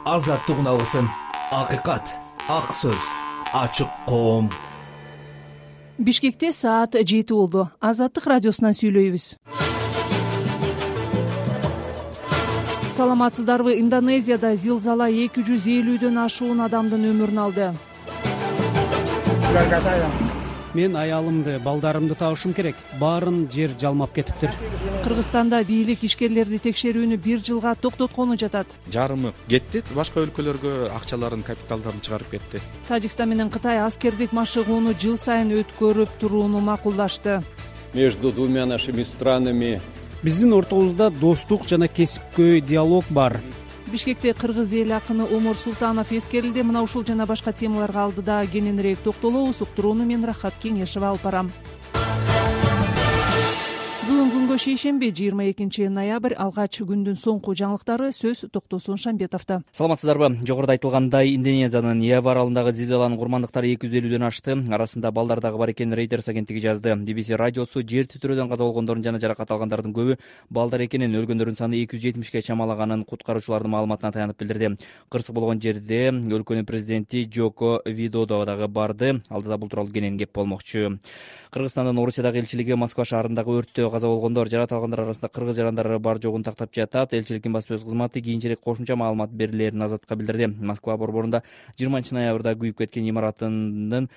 азаттык алгысын, акыйкат, ак сөз, ачык коом. Бишкекте саат 7 болду. Азаттык радиосунан сүйлөйбүз. Саламатсыздарбы? Индонезияда зилзала 250дөн ашуун адамдын өмүрүн алды. Мен аялымды, балдарымды табышым керек. Баарын жер жалмап кетиптир. Кыргызстанда бийлик ишкерлерди текшерүүнү 1 жылга токтоткону жатат. Жарымы кетти, башка өлкөлөргө акчаларын, капиталдарын чыгарып кетти. Тажикстан менен Кытай аскердик машыгууну жыл сайын өткөрүп турууну макулдашты. Между двумя нашими странами Биздин ортобузда достук жана кесипкөй диалог бар. Бишкекте кыргыз эл акыны Омур Султанов эскерилди. Мына ушул жана башка темаларга алдыда кененирээк токтолобуз. Уктурууну мен Рахат Кеңешева алып барам. Бүгүн күнгө шейшемби 22 ноябрь. Алгач күндүн соңку жаңылыктары. Сөз Токтосун Шамбетовдо. Саламатсыздарбы? Жогоруда айтылгандай, Индонезиянын Ява аралындагы зилзаланын курмандыктары 250дөн ашты. Арасында балдар дагы бар экенин Reuters агенттиги жазды. BBC радиосу жер титирөөдөн каза болгондордун жана жаракат алгандардын көбү балдар экенин, өлгөндөрдүн саны 270ке чамалаганын куткаруучулардын маалыматына таянып билдирди. Кырсык болгон жерде өлкөнүн президенти Жoko Видодо дагы барды. Алдыда бул тууралуу кенен кеп болмокчу. Кыргызстандын Орусиядагы элчилиги Москва шаарындагы өрттө каза болгондор, жаракат алгандар арасында кыргыз жарандары бар жогун тактап жатат. Элчиликтин баспасөз кызматы кийинчерээк кошумча маалымат берилерин азаттыкка билдирди. Москва борборунда 20 ноябрда күйүп кеткен имаратынын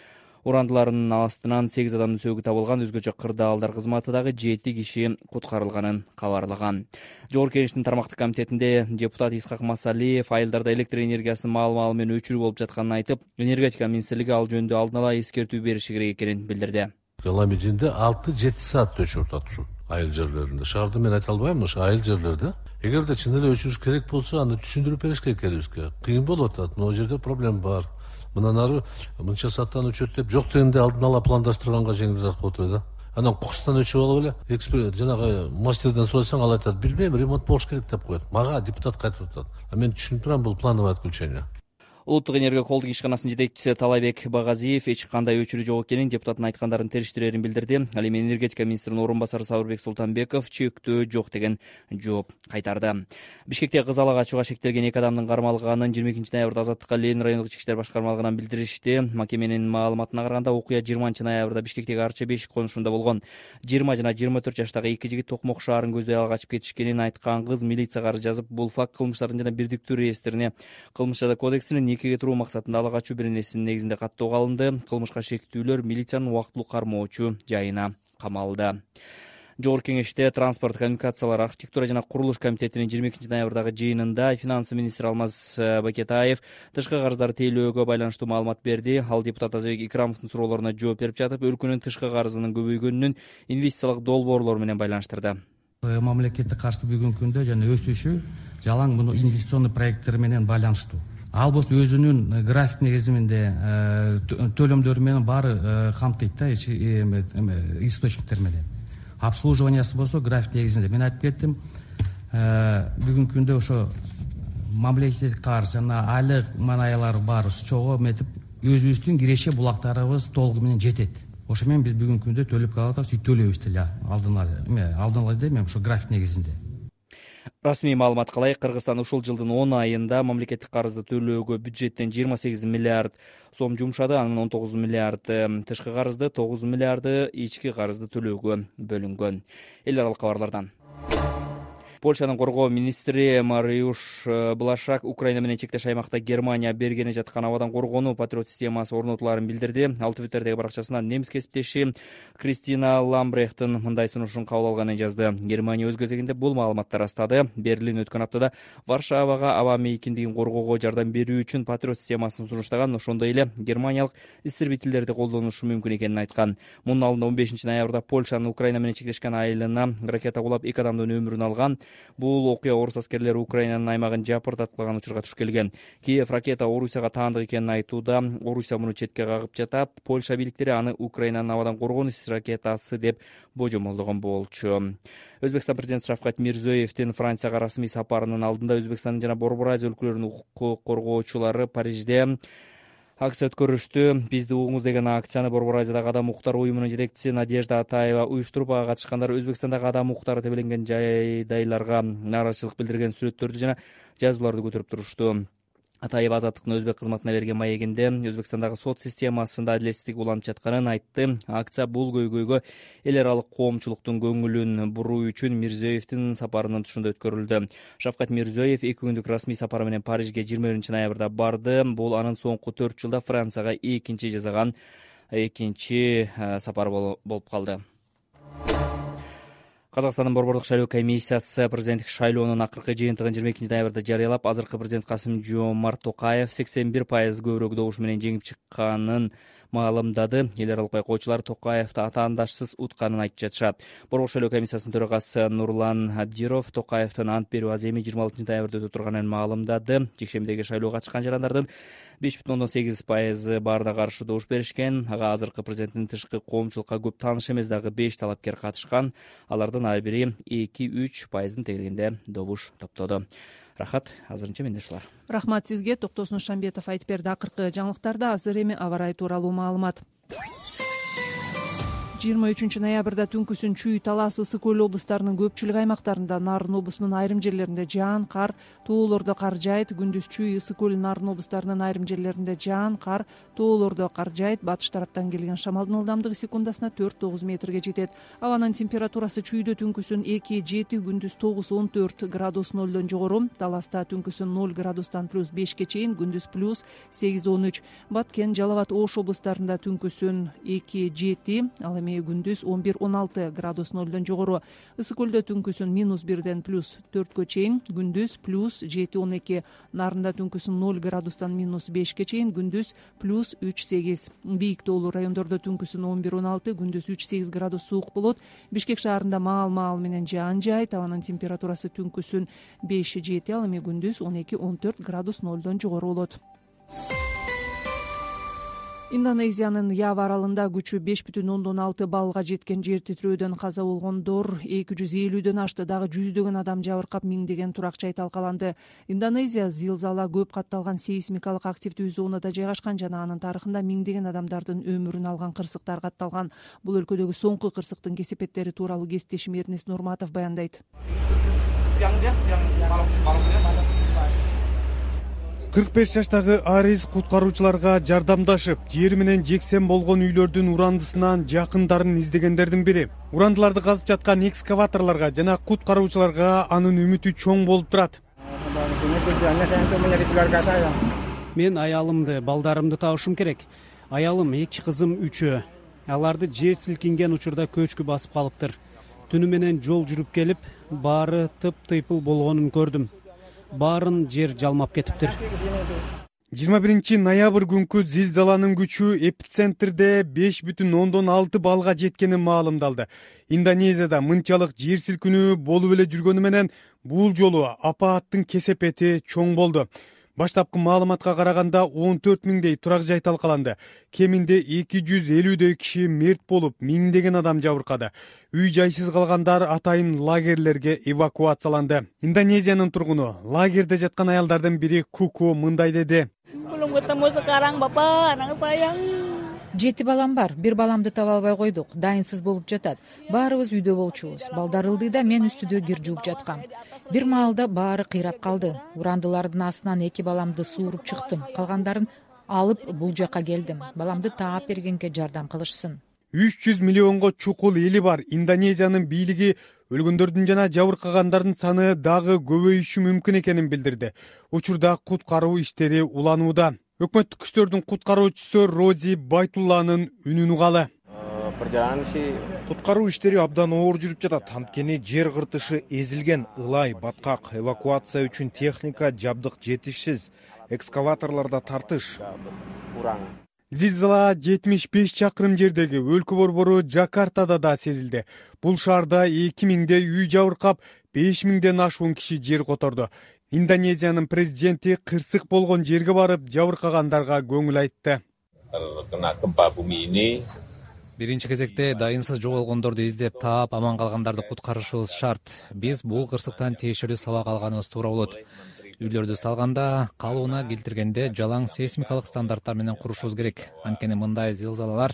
урандыларынын астынан 8 адамдын сөөгү табылган. Өзгөчө кырдаалдар кызматы дагы 7 киши куткарылганын кабарлаган. Жогорку Кеңештин тармактык комитетинде депутат Исхак Масалиев айылдарда электр энергиясынын маал-маалы менен өчүрүү болуп жатканын айтып, энергетика министрлиги ал жөнүндө алдын ала эскертүү бериши керек экенин билдирди. Ламединде 6-7 саат өчүрүп атат айыл жерлеринде. Шаарда мен айта албайм, ошо айыл жерлерде. Эгерде чын эле өчүрүш керек болсо, аны түшүндүрүп бериш керек элибизге. Кыйын болуп атат. Могу жерде проблема бар. Мындан ары мынча сааттан өчөт деп жок дегенде алдын ала пландаштырганга жеңилирээк болот да. Анан кукустан өчүп алып эле эксперт жанагы мастерден сурасаң, ал айтат, билбейм, ремонт болуш керек деп коет. Мага депутат кайтып атат. Мен түшүнүп турам, бул плановое отключение. Улуттук энергия колдук ишканасынын жетекчиси Талайбек Багазиев эч кандай өчүрүү жок экенин, депутаттын айткандарын териштирерин билдирди. Ал эми энергетика министринин орун басары Сабырбек Султанбеков чектөө жок деген жооп кайтарды. Бишкекте кыз алага ачууга шектелген 2 адамдын кармалганын 22 ноябрда Азаттыкка Ленин райондук ички иштер башкармалыгынан билдиришти. Макеменин маалыматына караганда, окуя 20 ноябрда Бишкектеги Арча Бешик конушунда болгон. 20 жана 24 жаштагы 2 жигит Токмок шаарын көздөй ала качып кетишкенин айткан кыз милицияга арыз жазып, бул факт кылмыштардын жана бирдиктүү реестрине, кылмыш жаза кодексине никеге туруу максатында ала качуу беренесинин негизинде каттоого алынды. Кылмышка шектүүлөр милициянын убактылуу кармоочу жайына камалды. Жогорку Кеңеште транспорт, коммуникациялар, архитектура жана курулуш комитетинин 22 ноябрдагы жыйынында финансы министри Алмаз Бакетаев тышкы карыздарды тейлөөгө байланыштуу маалымат берди. Ал депутат Азабек Икрамовдун суроолоруна жооп берип жатып, өлкөнүн тышкы карызынын көбөйгөнүнүн инвестициялык долбоорлор менен байланыштырды. Мамлекетке каршы бүгүнкү күндө жана өсүшү жалаң муну инвестиционный проекттер менен байланыштуу. Ал болсо өзүнүн график негизинде төлөмдөр менен баары камтыйт да, источниктер менен. Обслуживаниясы болсо график негизинде. Мен айтып кеттим, бүгүнкү күндө ошо мамлекеттик карыз жана айлык манаялар бар чогуу метип өзүбүздүн киреше булактарыбыз толугу менен жетет. Ошо менен биз бүгүнкү күндө төлөп калып атабыз, төлөйбүз деле алдын ала дейм, ошо график негизинде. Расмий маалымат калайык, Кыргызстан ушул жылдын 10 айында мамлекеттик карызды төлөөгө бюджеттен 28 миллиард сом жумшады. Анын 19 миллиард тышкы карызды, 9 миллиарды ички карызды төлөөгө бөлүнгөн. Эл аралык кабарлардан. Польшанын коргоо министри Мариуш Блашак Украина менен чектеш аймакта Германия бергени жаткан абадан коргонуу патриот системасы орнотулаарын билдирди. Ал Твиттердеги баракчасынан немис кесиптеши Кристина Ламбрехтин мындай сунушун кабыл алганын жазды. Германия өз кезегинде бул маалыматты растады. Берлин өткөн аптада Варшавага аба мейкиндигин коргоого жардам берүү үчүн патриот системасын сунуштаган. Ошондой эле германиялык истребительдерди колдонушу мүмкүн экенин айткан. Мунун алдында 15 ноябрда Польшанын Украина менен чектешкен айылына ракета кулап 2 адамдын өмүрүн алган. Бул окуя орус аскерлери Украинанын аймагын жапырдаткылаган учурга туш келген. Киев ракета Орусияга таандык экенин айтууда. Орусия муну четке кагып жатат. Польша бийликтери аны Украинанын абадан коргонуу ракетасы деп божомолдогон болчу. Өзбекстан президенти Шавкат Мирзиёевдин Францияга расмий сапарынын алдында Өзбекстандын жана Борбор Азия өлкөлөрүнүн укук коргоочулары Парижде акция өткөрүштү. Бизди угуңуз деген акцияны Борбор Азиядагы адам укуктары уюмунун жетекчиси Надежда Атаева уюштуруп, ага катышкандар Өзбекстандагы адам укуктары тебеленген жайдайларга нааразычылык билдирген сүрөттөрдү жана жазууларды көтөрүп турушту. Атаев Азаттыктын өзбек кызматына берген маегинде Өзбекстандагы сот системасында адилетсиздик уланып жатканын айтты. Акция бул көйгөйгө эл аралык коомчулуктун көңүлүн буруу үчүн Мирзиёевдин сапарынын тушунда өткөрүлдү. Шавкат Мирзиёев 2 күндүк расмий сапары менен Парижге 21-ноябрда барды. Бул анын соңку 4 жылда Францияга экинчи жасаган сапары болуп калды. Казакстандын Борбордук шайлоо комиссиясы президенттик шайлоонун акыркы жыйынтыгын 22-ноябрда жарыялап, азыркы президент Касым-Жомарт Токаев 81% көбүрөөк добуш менен жеңип чыкканын маалымдады. Эл аралык байкоочулар Токаевди атаандашсыз утканын айтып жатышат. Борбордук шайлоо комиссиясынын төрагасы Нурлан Абдиров Токаевдин ант берүү аземи 26-ноябрда өтө турганын маалымдады. Жекшембидеги шайлоого катышкан жарандардын 5,8% баарына каршы добуш беришкен. Ага азыркы президенттин тышкы коомчулукка көп тааныш эмес дагы 5 талапкер катышкан. Алардын ар бири 2-3% тегерегинде добуш топтоду. Рахат, азырынча менде ушулар. Рахмат сизге. Токтосун Шамбетов айтып берди. Акыркы жаңылыктарда азыр эми аба ырайы тууралуу маалымат. 23-ноябрда түнкүсүн Чүй, Талас, Ысык Көл облустарынын көпчүлүк аймактарында, Нарын облусунун айрым жерлеринде жаан, кар, тоолордо кар жаайт. Күндүз Чүй, Ысык Көл, Нарын облустарынын айрым жерлеринде жаан, кар, тоолордо кар жаайт. Батыш тараптан келген шамалдын ылдамдыгы секундасына 4-9 метрге жетет. Абанын температурасы Чүйдө түнкүсүн 2-7, күндүз 9-14 градус нөлдөн жогору. Таласта түнкүсүн 0 градустан +5 чейин, күндүз +8-13. Баткен, Жалал Абад, Ош облустарында түнкүсүн 2-7, ал эми күндүз 11-16 градус нөлдөн жогору. Ысык Көлдө түнкүсүн -1ден +4 чейин, күндүз +7-12. Нарында түнкүсүн 0 градустан -5 чейин, күндүз +3-8. Бийик тоолуу райондордо түнкүсүн 11-16, күндүз 3-8 градус суук болот. Бишкек шаарында маал менен жаан жаайт. Абанын температурасы түнкүсүн 5-7, ал эми күндүз 12-14 градус нөлдөн жогору болот. Индонезиянын Ява аралында күчү 5,6 баллга жеткен жер титирөөдөн каза болгондор 250дөн ашты. Дагы жүздөгөн адам жабыркап, миңдеген турак жай талкаланды. Индонезия зилзала көп катталган сейсмикалык активдүү зонада жайгашкан жана анын тарыхында миңдеген адамдардын өмүрүн алган кырсыктар катталган. Бул өлкөдөгү соңку кырсыктын кесепеттери тууралуу кесиптешим Эрнест Нурматов баяндайт. 45 жаштагы Арис куткаруучуларга жардамдашып, жер менен жексен болгон үйлөрдүн урандысынан жакындарын издегендердин бири. Урандыларды казып жаткан экскаваторлорго жана куткаруучуларга анын үмүтү чоң болуп турат. Мен аялымды, балдарымды табышым керек. Аялым, 2 кызым, 3. Аларды жер силкинген учурда көчкү басып калыптыр. Түнү менен жол жүрүп келип, баары тыйпыл болгонун көрдүм. Баарын жер жалмап кетиптир. 21-ноябрь күнкү зилзаланын күчү эпицентрде 5,6 баллга жеткени маалымдалды. Индонезияда мынчалык жер силкинүү болуп эле жүргөнү менен бул жолу апааттын кесепети чоң болду. Баштапкы маалыматка караганда 14 миңдей турак жай талкаланды. Кеминде 250дөй киши мерт болуп, миңдеген адам жабыркады. Үй жайсыз калгандар атайын лагерлерге эвакуацияланды. Индонезиянын тургуну, лагерде жаткан аялдардын бири Куку мындай деди. 7 балам бар. Бир баламды таба албай койдук. Дайынсыз болуп жатат. Баарыбыз үйдө болчубуз. Балдар ылдыйда, мен үстүдө кир жууп жаткам. Бир маалда баары кыйрап калды. Урандылардын астынан 2 баламды сууруп чыктым. Калгандарын алып бул жака келдим. Баламды таап бергенге жардам кылышсын. 300 миллионго чукул эли бар. Индонезиянын бийлиги өлгөндөрдүн жана жабыркагандардын саны дагы көбөйүшү мүмкүн экенин билдирди. Учурда куткаруу иштери уланууда. Өкмөттүк күчтөрдүн куткаруучусу Рози Байтулланын үнүн угалы. Куткаруу иштери абдан оор жүрүп жатат. Анткени жер кыртышы эзилген, ылай, баткак, эвакуация үчүн техника, жабдык жетишсиз, экскаваторлордо тартыш. Зилзала 75 чакырым жердеги өлкө борбору Жакартада да сезилди. Бул шаарда 2000дей үй жабыркап, 5000ден ашуун киши жер которду. Индонезиянын президенти кырсык болгон жерге барып, жабыркагандарга көңүл айтты. Биринчи кезекте дайынсыз жоголгондорду издеп таап, аман калгандарды куткарышыбыз шарт. Биз бул кырсыктан тиешелүү сабак алганыбыз туура болот. Үйлөрдү салганда, калыбына келтиргенде жалаң сейсмикалык стандарттар менен курушубуз керек. Анткени мындай зилзалалар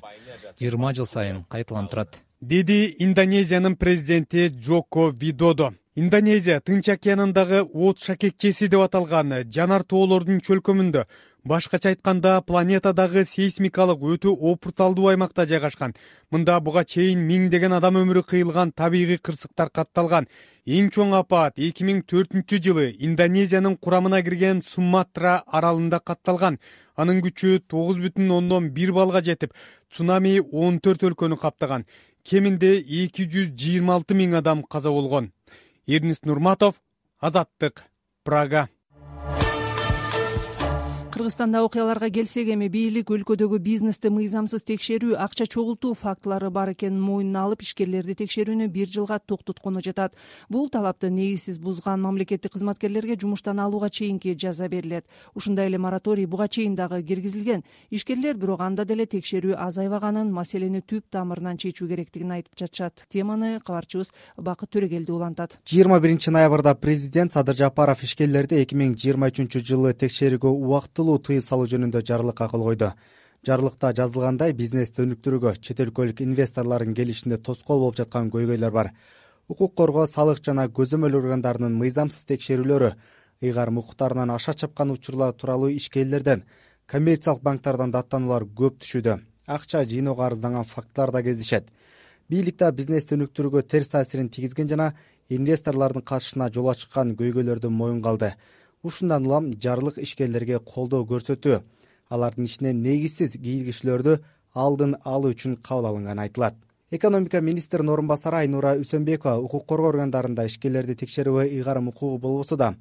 20 жыл сайын кайталанып турат, деди Индонезиянын президенти Джоко Видодо. Индонезия Тынч океанындагы от шакекчеси деп аталган жанар тоолордун чөлкөмүндө, башкача айтканда планетадагы сейсмикалык өтө опурталдуу аймакта жайгашкан. Мында буга чейин миңдеген адам өмүрү кыйылган табигый кырсыктар катталган. Эң чоң апат 2004-жылы Индонезиянын курамына кирген Суматра аралында катталган. Анын күчү 9,1 балга жетип, цунами 14 өлкөнү каптаган. Кеминде 226 миң адам каза болгон. Эрнест Нурматов, Азаттык, Прага. Кыргызстанда окуяларга келсек, эми бийлик өлкөдөгү бизнести мыйзамсыз текшерүү, акча чогултуу фактылары бар экенин мойнуна алып, ишкерлерди текшерүүнү 1 жылга токтоткону жатат. Бул талапты негизсиз бузган мамлекеттик кызматкерлерге жумуштан алууга чейинки жаза берилет. Ушундай эле мораторий буга чейин дагы киргизилген. Ишкерлер бирок анда деле текшерүү азайбаганын, маселени түп тамырынан чечүү керектигин айтып жатышат. Теманы кабарчыбыз Бакыт Төрөгелди улантат. 21 ноябрда президент Садыр Жапаров ишкерлерди 2023-жылы текшерүүгө убактылуу тыюу салуу жөнүндө жарлыкка кол койду. Жарлыкта жазылгандай, бизнести өнүктүрүүгө чет өлкөлүк инвесторлордун келишинде тоскоол болуп жаткан көйгөйлөр бар. Укук коргоо, салык жана көзөмөл органдарынын мыйзамсыз текшерүүлөрү, ыйгарым укуктарынан аша чапкан учурлар тууралуу ишкерлерден, коммерциялык банктардан даттануулар көп түшүүдө. Акча жыйноого арызданган фактылар да кездешет. Бийликте бизнести өнүктүрүүгө терс таасирин тийгизген жана инвесторлордун катышына жол ачкан көйгөйлөрдү моюнга алды. Ушундан улам жарлык ишкерлерге колдоо көрсөтүү, алардын ишине негизсиз кийлигишүүлөрдү алдын алуу үчүн кабыл алынганы айтылат. Экономика министринин орун басары Айнура Үсөнбекова укук коргоо органдарында ишкерлерди текшерүүгө ыйгарым укугу болбосо да,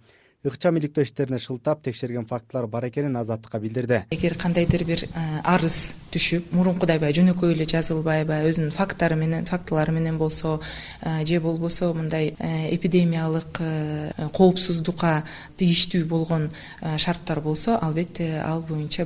ыкчам иликтөө иштерине шылтап текшерген фактылар бар экенин Азаттыкка билдирди. Эгер кандайдыр бир арыз түшүп, мурункудай жөнөкөй эле жазылбай, өзүнүн фактылары менен болсо, же болбосо мындай эпидемиялык коопсуздукка тийиштүү болгон шарттар болсо, албетте ал боюнча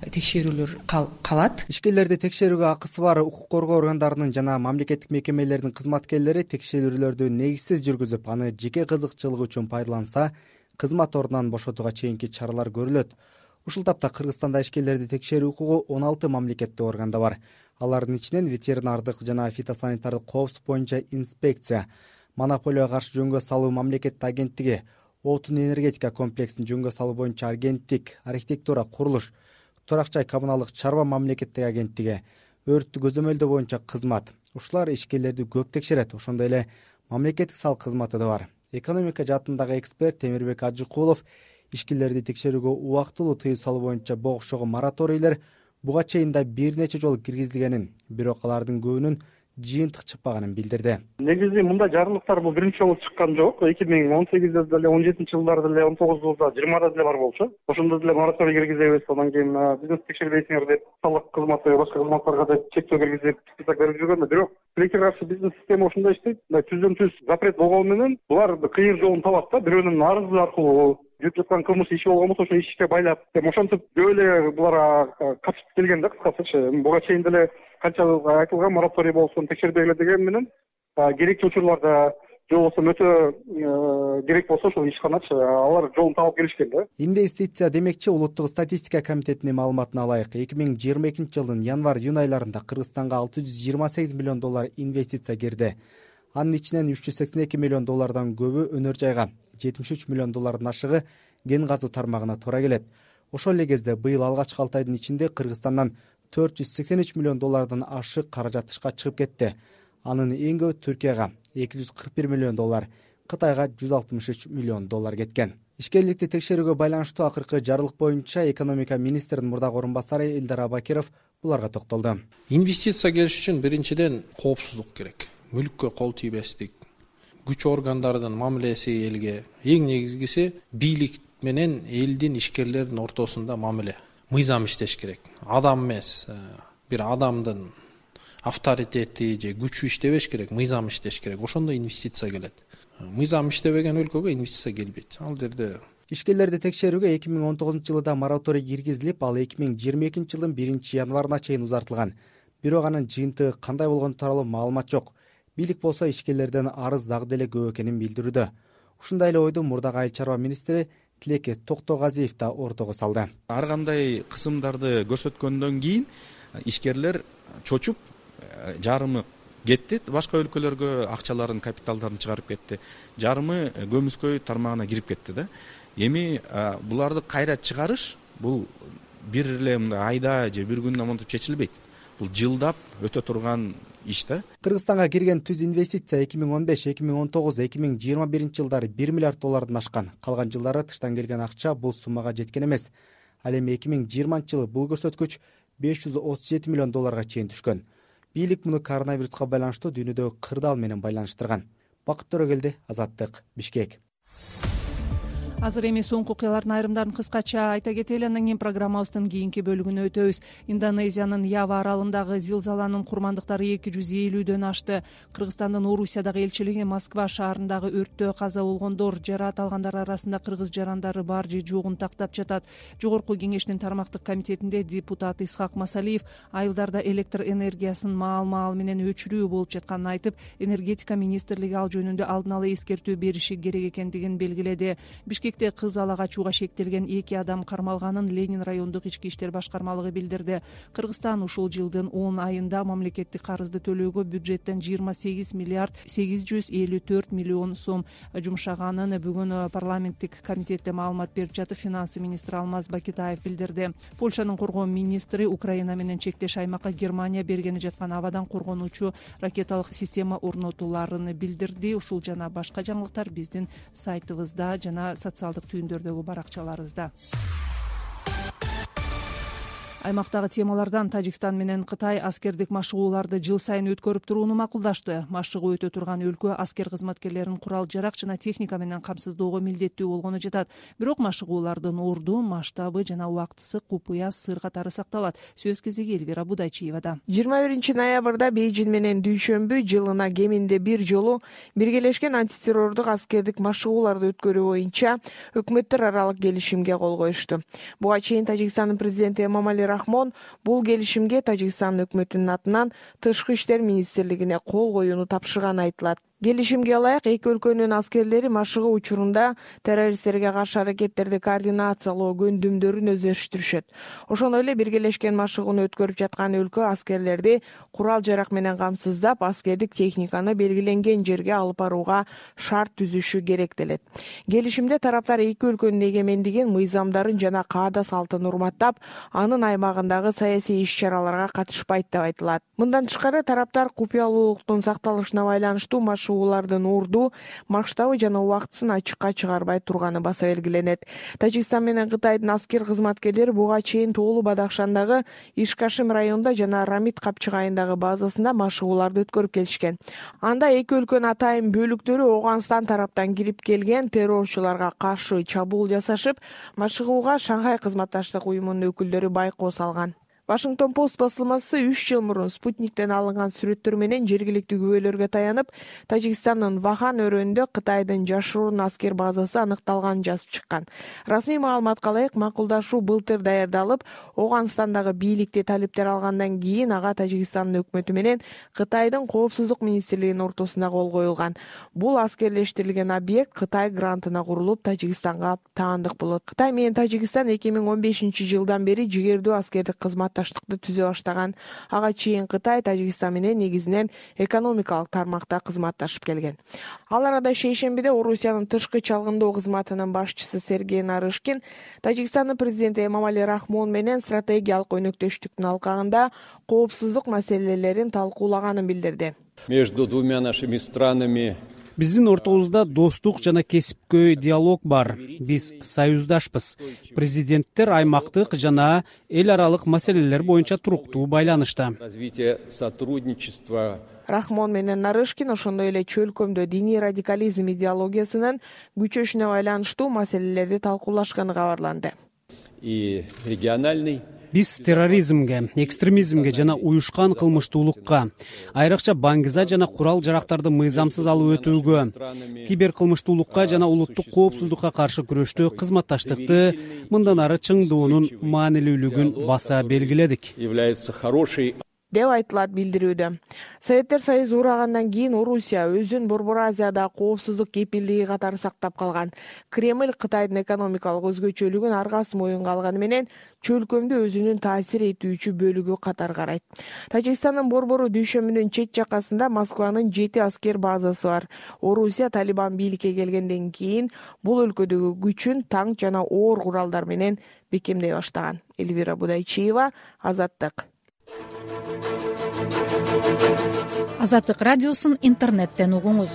текшерүүлөр калат. Ишкерлерди текшерүүгө акысы бар укук коргоо органдарынын жана мамлекеттик мекемелердин кызматкерлери текшерүүлөрдү негизсиз жүргүзүп, аны жеке кызыкчылыгы үчүн пайдаланса, кызмат ордунан бошотууга чейинки чаралар көрүлөт. Ушул тапта Кыргызстанда ишкерлерди текшерүү укугу 16 мамлекеттик органда бар. Алардын ичинен ветеринардык жана фитосанитардык коопсуздук боюнча инспекция, монополияга каршы жөнгө салуу мамлекеттик агенттиги, отун энергетика комплексин жөнгө салуу боюнча агенттик, архитектура, курулуш, турак-жай коммуналдык чарба мамлекеттик агенттиги, өрттү көзөмөлдөө боюнча кызмат. Ушулар ишкерлерди көп текшерет. Ошондой эле мамлекеттик салык кызматы да бар. Экономика жаатындагы эксперт Темирбек Ажыкулов ишкерлерди текшерүүгө убактылуу тыюу салуу боюнча богушогу мораторийлер буга чейин да бир нече жолу киргизилгенин, бирок алардын көбүнүн жыйынтык чыкпаганын билдирди. Негизи мындай жарлыктар бул биринчи жолу чыккан жок. 2018-де деле, 17-жылдарда деле, 19-жылда, 20-да деле бар болчу. Ошондо деле мораторий киргизебиз, андан кийин бизнес текшербейсиңер деп салык кызматы, башка кызматтарга деп чектөө киргизип, список берип жүргөн. Бирок тилекке каршы бизнес система ошондой иштейт. Түздөн түз запрет болгону менен булар кыйыр жолун табат да, бирөөнүн арызы аркылуу жүрүп жаткан кылмыш иши болгон болсо, ошо ишке байлап, ошентип көп эле булар катышып келген да, кыскасычы. Буга чейин деле канча айтылган мораторий болсун, текшербегиле деген менен керектүү учурларда же болбосо өтө керек болсо ошол ишканачы алар жолун таап келишкен да. Инвестиция демекчи Улуттук статистика комитетинин маалыматына алайык, 2022-жылдын январь-июнь айларында Кыргызстанга $628 миллион инвестиция кирди. Анын ичинен $382 миллион көбү өнөр жайга, $73 миллион ашыгы кен казуу тармагына туура келет. Ошол эле кезде быйыл алгачкы 6 айдын ичинде Кыргызстандан $483 миллион ашык каражат тышка чыгып кетти. Анын эң көбү Түркияга $241 миллион, Кытайга $163 миллион кеткен. Ишкерликти текшерүүгө байланыштуу акыркы жарлык боюнча экономика министринин мурдагы орун басары Элдар Абакиров буларга токтолду. Инвестиция келиш үчүн биринчиден коопсуздук керек. Мүлүккө кол тийбестик, күч органдарынын мамилеси элге, эң негизгиси бийлик менен элдин, ишкерлердин ортосунда мамиле. Мыйзам иштеш керек. Адам эмес, бир адамдын авторитети же күчү иштебеш керек, мыйзам иштеш керек. Ошондо инвестиция келет. Мыйзам иштебеген өлкөгө инвестиция келбейт. Ал жерде ишкерлерди текшерүүгө 2019-жылда мораторий киргизилип, ал 2022-жылдын 1-январына чейин узартылган. Бирок анын жыйынтыгы кандай болгону тууралуу маалымат жок. Бийлик болсо ишкерлерден арыз дагы деле көп экенин билдирүүдө. Ушундай эле ойду мурдагы айыл чарба министри Тилеке Токтогазиев да ортого салды. Ар кандай кысымдарды көрсөткөндөн кийин ишкерлер чочуп, жарымы кетти, башка өлкөлөргө акчаларын, капиталдарын чыгарып кетти. Жарымы көмүскөй тармагына кирип кетти да. Эми буларды кайра чыгарыш бул бир эле айда же бир күндө монтип чечилбейт. Бул жылдап өтө турган иш да. Кыргызстанга кирген түз инвестиция 2015, 2019, 2021 жылдары 1 миллиард доллардан ашкан. Калган жылдары тыштан келген акча бул суммага жеткен эмес. Ал эми 2020 жылы бул көрсөткүч 537 миллион долларга чейин түшкөн. Бийлик муну коронавируска байланыштуу дүйнөдөгү кырдаал менен байланыштырган. Бакыт Төрөгелди, Азаттык, Бишкек. Азыр эми соңку окуялардын айрымдарын кыскача айта кетели, андан кийин программабыздын кийинки бөлүгүнө өтөбүз. Индонезиянын Ява аралындагы зилзаланын курмандыктары 250дөн ашты. Кыргызстандын Орусиядагы элчилиги Москва шаарындагы өрттө каза болгондор, жараат алгандар арасында кыргыз жарандары бар же жогун тактап жатат. Жогорку кеңештин тармактык комитетинде депутат Исхак Масалиев айылдарда электр энергиясын маал-маал менен өчүрүү болуп жатканын айтып, энергетика министрлиги ал жөнүндө алдын ала эскертүү бериши керек экендигин белгиледи. Бишкекте кыз ала качууга шектелген 2 адам кармалганын Ленин райондук ички иштер башкармалыгы билдирди. Кыргызстан ушул жылдын 10 айында мамлекеттик карызды төлөөгө бюджеттен 28 миллиард 854 миллион сом жумшаганын бүгүн парламенттик комитетте маалымат берип жатып, финансы министри Алмаз Бакитаев билдирди. Польшанын коргоо министри Украина менен чектеш аймакка Германия бергени жаткан абадан коргонуучу ракеталык система орнотууларын билдирди. Ушул жана башка жаңылыктар биздин сайтыбызда жана социалдык түйүндөрдөгү баракчаларыбызда. Аймактагы темалардан Тажикстан менен Кытай аскердик машыгууларды жыл сайын өткөрүп турууну макулдашты. Машыгуу өтө турган өлкө аскер кызматкерлерин курал-жарак жана техника менен камсыздоого милдеттүү болгону жатат. Бирок машыгуулардын орду, масштабы жана убактысы купуя сыр катары сакталат. Сөз кезеги Элвира Будайчиевада. 21 ноябрда Бейжин менен Дүйшөмбү жылына кеминде бир жолу биргелешкен антитеррордук аскердик машыгууларды өткөрүү боюнча өкмөттөр аралык келишимге кол коюшту. Буга чейин Тажикстандын президенти Эмомали Рахмон бул келишимге Тажикстан өкмөтүнүн атынан Тышкы иштер министрлигине кол коюуну тапшырганы айтылат. Келишимге ылайык эки өлкөнүн аскерлери машыгуу учурунда террористтерге каршы аракеттерди координациялоо көндүмдөрүн өздөштүрүшөт. Ошондой эле биргелешкен машыгууну өткөрүп жаткан өлкө аскерлерди курал-жарак менен камсыздап, аскердик техниканы белгиленген жерге алып барууга шарт түзүшү керектелет. Келишимде тараптар эки өлкөнүн эгемендигин, мыйзамдарын жана каада салтын урматтап, анын аймагындагы саясий иш-чараларга катышпайт деп айтылат. Мындан тышкары тараптар купуялуулуктун сакталышына байланыштуу машыгуулардын орду, масштабы жана убактысын ачыкка чыгарбай турганы баса белгиленет. Тажикстан менен Кытайдын аскер кызматкерлери буга чейин Тоолу Бадахшандагы Ишкашим районунда жана Рамит Капчыгайындагы базасында машыгууларды өткөрүп келишкен. Анда эки өлкөнүн атайын бөлүктөрү Ооганстан тараптан кирип келген террорчуларга каршы чабуул жасашып, машыгууга Шанхай кызматташтык уюмунун өкүлдөрү байкоо салган. Вашингтон Пост басылмасы 3 жыл мурун спутниктен алынган сүрөттөр менен жергиликтүү күбөлөргө таянып, Тажикстандын Вахан өрөөнүндө Кытайдын жашыруун аскер базасы аныкталганын жазып чыккан. Расмий маалыматка ылайык, макулдашуу былтыр даярдалып, Ооганстандагы бийликти талиптер алгандан кийин ага Тажикстандын өкмөтү менен Кытайдын коопсуздук министрлигинин ортосунда кол коюлган. Бул аскерлештирилген объект Кытай грантына курулуп, Тажикстанга таандык болот. Кытай менен Тажикстан 2015 жылдан бери жигердүү аскердик кызматташтыкты түзө баштаган. Ага чейин Кытай Тажикстан менен негизинен экономикалык тармакта кызматташып келген. Ал арада шейшембиде Орусиянын тышкы чалгындоо кызматынын башчысы Сергей Нарышкин Тажикстандын президенти Эмомали Рахмон менен стратегиялык өнөктөштүктүн алкагында коопсуздук маселелерин талкуулаганын билдирди. Между двумя нашими странами Биздин ортобузда достук жана кесипкөй диалог бар. Биз союздашпыз. Президенттер аймактык жана эл аралык маселелер боюнча туруктуу байланышта. Развитие сотрудничества. Рахмон менен Нарышкин ошондой эле чөлкөмдө диний радикализм идеологиясынын күчөшүнө байланыштуу маселелерди талкуулашканы кабарланды. И региональный Биз терроризмге, экстремизмге жана уюшкан кылмыштуулукка, айрыкча баңгиза жана курал-жарактарды мыйзамсыз алып өтүүгө, киберкылмыштуулукка жана улуттук коопсуздукка каршы күрөштө кызматташтыкты мындан ары чыңдоонун маанилүүлүгүн баса белгиледик. Является хорошей деп айтылат билдирүүдө. Советтер Союзу урагандан кийин Орусия өзүн Борбор Азияда коопсуздук кепилдиги катары сактап калган. Кремль Кытайдын экономикалык өзгөчөлүгүн аргасы моюнга алганы менен чөлкөмдү өзүнүн таасир этүүчү бөлүгү катары карайт. Тажикстандын Борбору дүйшөмүнүн чет жакасында Москванын 7 аскер базасы бар. Орусия Талибан бийликке келгенден кийин бул өлкөдөгү күчүн танк жана оор куралдар менен бекемдей баштаган. Эльвира Будайчиева, Азаттык. Азаттык радиосун интернеттен угуңуз.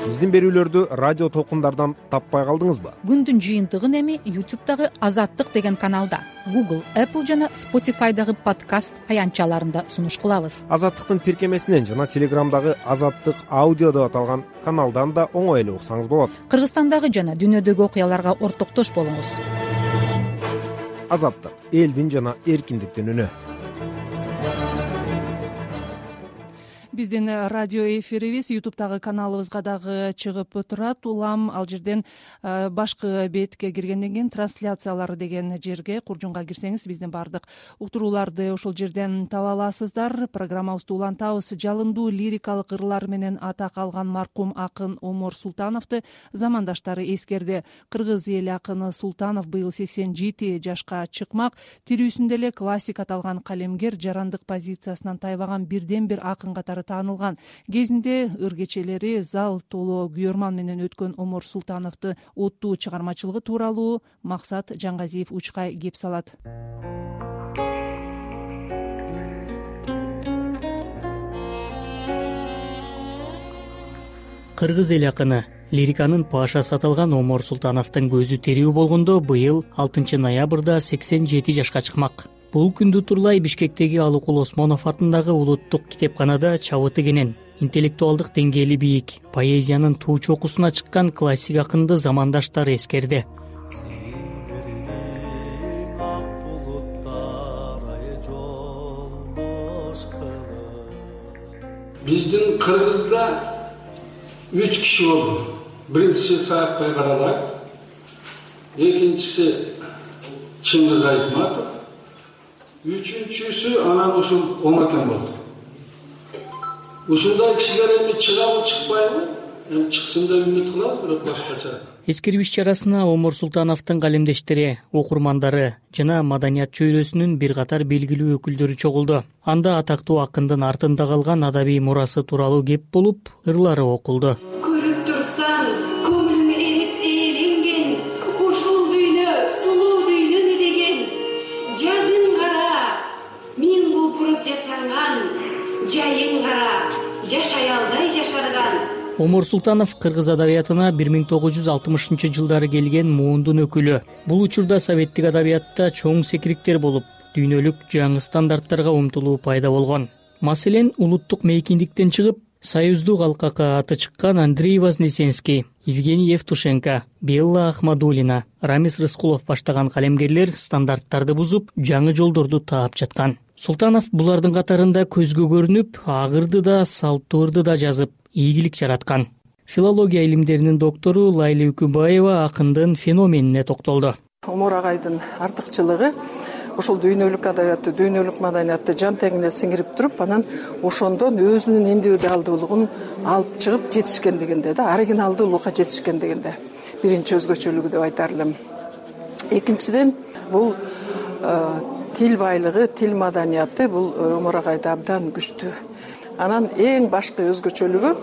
Биздин берүүлөрдү радио толкундардан таппай калдыңызбы? Күндүн жыйынтыгын эми YouTube'дагы Азаттык деген каналда, Google, Apple жана Spotify'дагы подкаст аянтчаларында сунуш кылабыз. Азаттыктын тиркемесинен жана Телеграмдагы Азаттык аудио деп аталган каналдан да оңой эле уксаңыз болот. Кыргызстандагы жана дүйнөдөгү окуяларга ортоктош болуңуз. Азаттык — элдин жана эркиндиктин үнү. Биздин радио эфирибиз YouTube'дагы каналыбызга дагы чыгып турат. Улам ал жерден башкы бетке киргенден кийин трансляциялары деген жерге, куржунга кирсеңиз биздин баардык уктурууларды ошол жерден таба аласыздар. Программабызды улантабыз. Жалындуу лирикалык ырлар менен атак алган маркум акын Омор Султановду замандаштары эскерди. Кыргыз эли акыны Султанов быйыл 87 жашка чыкмак. Тирүүсүндө эле классик аталган калемгер жарандык позициясынан тайбаган бирден бир акын катары таанылган. Кезинде ыр кечелери зал толо күйөрман менен өткөн Омор Султановду оттуу чыгармачылыгы тууралуу Максат Жаңгазиев учкай кеп салат. Кыргыз эл акыны, лириканын пашасы аталган Омор Султановдун көзү тирүү болгондо быйыл 6 ноябрда 87 жашка чыкмак. Бул күндү турлай Бишкектеги Алыкул Осмонов атындагы улуттук китепканада чабыты кенен, интеллектуалдык деңгээли бийик, поэзиянын туу чокусуна чыккан классик акынды замандаштары эскерди. Биздин Кыргызда 3 киши болду. Биринчиси Саакбай Каралай, экинчиси Чыңгыз Айтматов, үчүнчүсү анан ушул Омакен болду. Ушундай кишилер эми чыгабы чыкпайбы? Эми чыксын деп үмүт кылабыз, бирок башкача. Эскерүү иш-чарасына Омор Султановдун калемдештери, окурмандары жана маданият чөйрөсүнүн бир катар белгилүү өкүлдөрү чогулду. Анда атактуу акындын артында калган адабий мурасы тууралуу кеп болуп, ырлары окулду. Көрүп турсаң, көңүлүң эрип ээленген, ушул дүйнө сулуу дүйнө деген. Жазың кара, миң кулпуруп жасанган, жайың кара, жашай албай жашарган. Омор Султанов кыргыз адабиятына 1960-жылдары келген муундун өкүлү. Бул учурда советтик адабиятта чоң секириктер болуп, дүйнөлүк жаңы стандарттарга умтулуу пайда болгон. Маселен, улуттук мейкиндиктен чыгып, союздук алкакка аты чыккан Андрей Вознесенский, Евгений Евтушенко, Белла Ахмадулина, Рамис Рыскулов баштаган калемгерлер стандарттарды бузуп, жаңы жолдорду таап жаткан. Султанов булардын катарында көзгө көрүнүп, агырды да, салттуурду да жазып, ийгилик жараткан. Филология илимдеринин доктору Лайли Үкүбаева акындын феноменине токтолду. Омор агайдын артыкчылыгы ушул дүйнөлүк адабиятты, дүйнөлүк маданиятты жан теңине сиңирип туруп, анан ошондон өзүнүн индивидуалдуулугун алып чыгып жетишкендигинде да, оригиналдуулукка жетишкендигинде биринчи өзгөчөлүгү деп айтар элем. Экинчиден, бул тил байлыгы, тил маданияты бул Омор агайда абдан күчтүү. Анан эң башкы өзгөчөлүгү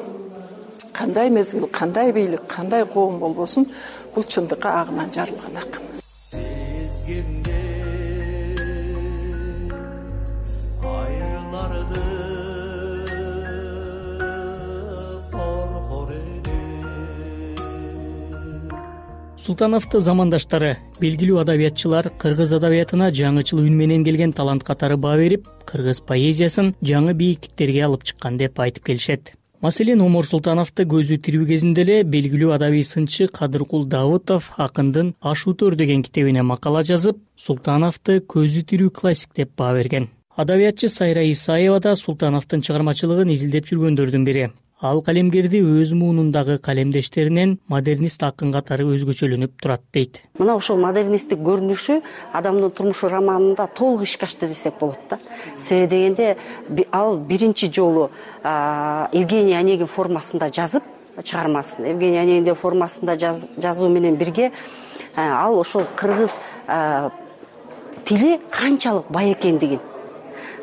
кандай мезгил, кандай бийлик, кандай коом болбосун, бул чындыкка агынан жарылган акын. Султановду замандаштары, белгилүү адабиятчылар кыргыз адабиятына жаңычыл үн менен келген талант катары баа берип, кыргыз поэзиясын жаңы бийиктиктерге алып чыккан деп айтып келишет. Маселен, Омор Султановду көзү тирүү кезинде эле белгилүү адабий сынчы Кадыркул Давытов акындын Аш өтөр деген китебине макала жазып, Султановду көзү тирүү классик деп баа берген. Адабиятчы Сайра Исаева да Султановдун чыгармачылыгын изилдеп жүргөндөрдүн бири. Ал калемгерди өз муунундагы калемдештеринен модернист акын катары өзгөчөлөнүп турат дейт. Мына ошол модерnisттик көрүнүшү адамдын турмушу романында толук ишке ашты десек болот да. Себеби дегенде ал биринчи жолу Евгений Онегин формасында жазып, чыгармасын Евгений Онегин формасында жазуу менен бирге ал ошол кыргыз тили канчалык бай экендигин,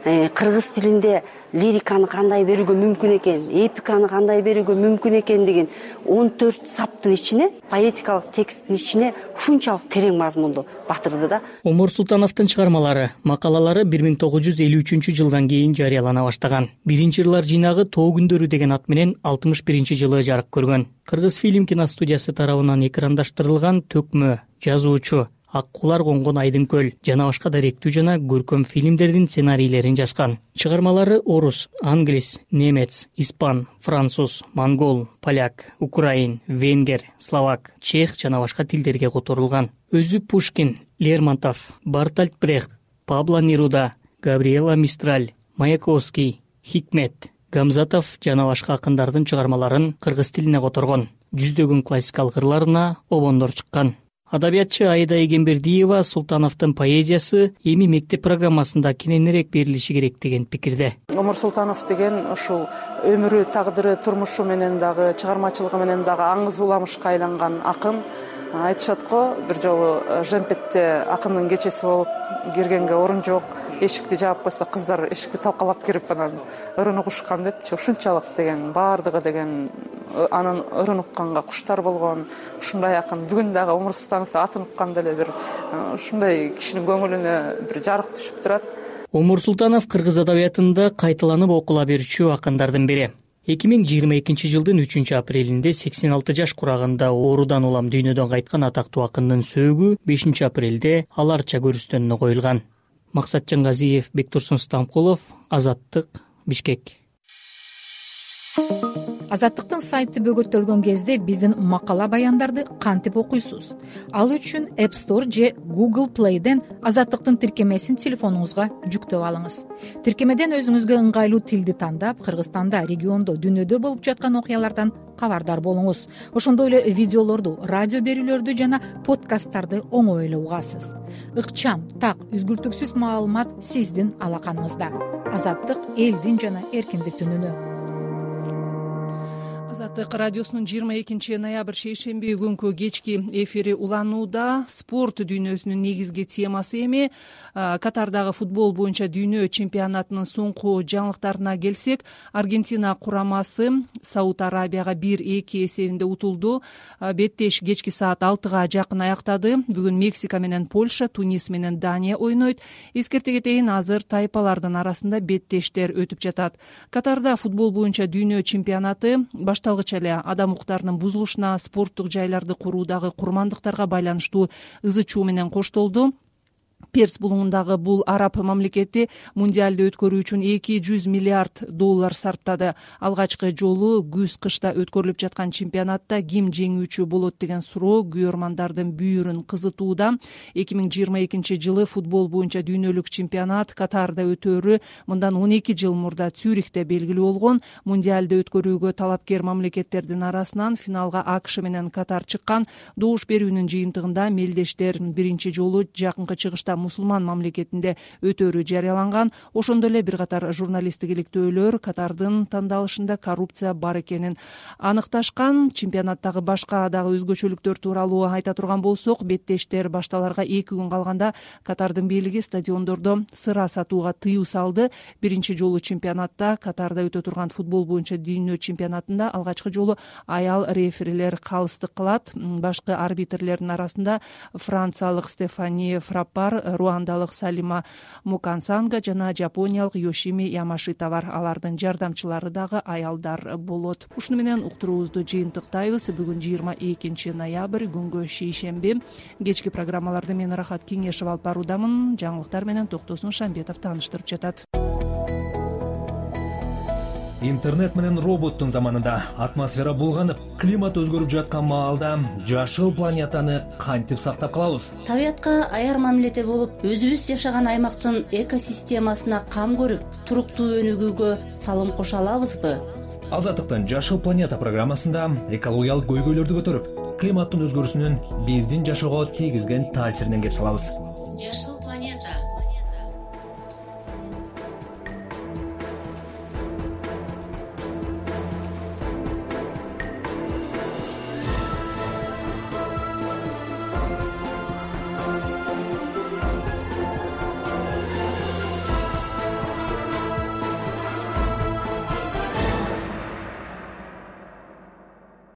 кыргыз тилинде лириканы кандай берүүгө мүмкүн экен, эпиканы кандай берүүгө мүмкүн экендигин 14 саптын ичине, поэтикалык тексттин ичине ушунчалык терең мазмунду батырды да. Омур Султановдун чыгармалары, макалалары 1953 жылдан кийин жарыялана баштаган. Биринчи ырлар жыйнагы Тоо күндөрү деген ат менен 61 жылы жарык көргөн. Кыргыз фильм киностудиясы тарабынан экрандаштырылган Төкмө, Жазуучу, Ак кулар конгон Айдын көл жана башка даректүү жана көркөм фильмдердин сценарийлерин жазган. Чыгармалары орус, англис, немец, испан, француз, монгол, поляк, украин, венгер, словак, чех жана башка тилдерге которулган. Өзү Пушкин, Лермонтов, Бартольд Брехт, Пабло Неруда, Габриэла Мистраль, Маяковский, Хикмет, Гамзатов жана башка акындардын чыгармаларын кыргыз тилине которгон. Жүздөгөн классикалык ырларына обондор чыккан. Адабиятчы Аида Эгембердиева Султановдун поэзиясы эми мектеп программасында кененирээк берилиши керек деген пикирде. Омур Султанов деген ушул өмүрү, тагдыры, турмушу менен дагы, чыгармачылыгы менен дагы аңыз уламышка айланган акын. Айтышат го, бир жолу Жемпетте акындын кечеси болуп киргенге орун жок, эшикти жаап койсо кыздар эшикти талкалап кирип анан ырын угушкан депчи. Ушунчалык деген баардыгы деген анын ырын укканга куштар болгон. Ушундай акын бүгүн дагы Омур Султановду атын укканда эле бир ушундай кишинин көңүлүнө бир жарык түшүп турат. Омур Султанов кыргыз адабиятында кайталанып окула берүүчү акындардын бири. 2022 жылдын 3 апрелинде 86 жаш курагында оорудан улам дүйнөдөн кайткан атактуу акындын сөөгү 5 апрелде аларча көрүстөнүнө коюлган. Максатжан Газиев, Бектурсун Стамкулов, Азаттык, Бишкек. Азаттыктын сайты бөгөттөлгөн кезде биздин макала баяндарды кантип окуйсуз? Ал үчүн App Store же Google Play'ден Азаттыктын тиркемесин телефонуңузга жүктөп алыңыз. Тиркемеден өзүңүзгө ыңгайлуу тилди тандап, Кыргызстанда, региондо, дүйнөдө болуп жаткан окуялардан кабардар болуңуз. Ошондой эле видеолорду, радио берүүлөрдү жана подкасттарды оңой эле угасыз. Ыкчам, так, үзгүлтүксүз маалымат сиздин алаканыңызда. Азаттык элдин жана эркиндиктин үнү. Азаттык радиосунун 22 ноябрь шейшемби күнкү кечки эфири уланууда. Спорт дүйнөсүнүн негизги темасы эми. Катардагы футбол боюнча дүйнө чемпионатынын соңку жаңылыктарына келсек, Аргентина курамасы Сауд Арабияга 1-2 эсебинде утулду. Беттеш кечки саат 6-га жакын аяктады. Бүгүн Мексика менен Польша, Тунис менен Дания ойнойт. Эскерте кетейин, азыр тайпалардын арасында беттештер өтүп жатат. Катарда футбол боюнча дүйнө чемпионаты башталгыч эле адам укуктарынын бузулушуна, спорттук жайларды куруудагы курмандыктарга байланыштуу ызы чуу менен коштолду. Перс булуңундагы бул араб мамлекети мундиалды өткөрүү үчүн $200 миллиард сарптады. Алгачкы жолу күз-кышта өткөрүлүп жаткан чемпионатта ким жеңүүчү болот деген суроо күйөрмандардын бүйүрүн кызытууда. 2022 жылы футбол боюнча дүйнөлүк чемпионат Катарда өтөөрү мындан 12 жыл мурда Цюрихте белгилүү болгон. Мундиалды өткөрүүгө талапкер мамлекеттердин арасынан финалга АКШ менен Катар чыккан. Добуш берүүнүн жыйынтыгында мелдештер биринчи жолу жакынкы чыгышта мусулман мамлекетинде өтөөрү жарыяланган. Ошондой эле бир катар журналисттик иликтөөлөр Катардын тандалышында коррупция бар экенин аныкташкан. Чемпионаттагы башка дагы өзгөчөлүктөр тууралуу айта турган болсок, беттештер башталарга 2 күн калганда Катардын бийлиги стадиондордо сыра сатууга тыюу салды. Биринчи жолу чемпионатта Катарда өтө турган футбол боюнча дүйнө чемпионатында алгачкы жолу аял реферилер калыстык кылат. Башкы арбитрлердин арасында франциялык Стефани Фраппар, руандалык Салима Мукансанга жана жапониялык Йошими Ямашита бар. Алардын жардамчылары дагы аялдар болот. Ушуну менен уктуруубузду жыйынтыктайбыз. Бүгүн 22 ноябрь күнгө шейшемби. Кечки программаларды мен Рахат Кеңешев алып баруудамын. Жаңылыктар менен Токтосун Шамбетов тааныштырып жатат. Интернет менен роботтун заманында атмосфера булганып, климат өзгөрүп жаткан маалда жашыл планетаны кантип сактап калабыз? Табиятка аяр мамиледе болуп, өзүбүз жашаган аймактын экосистемасына кам көрүп, туруктуу өнүгүүгө салым кошо алабызбы? Азаттыктын Жашыл планета программасында экологиялык көйгөйлөрдү көтөрүп, климаттын өзгөрүүсүнүн биздин жашоого тийгизген таасиринен кеп салабыз. Жашыл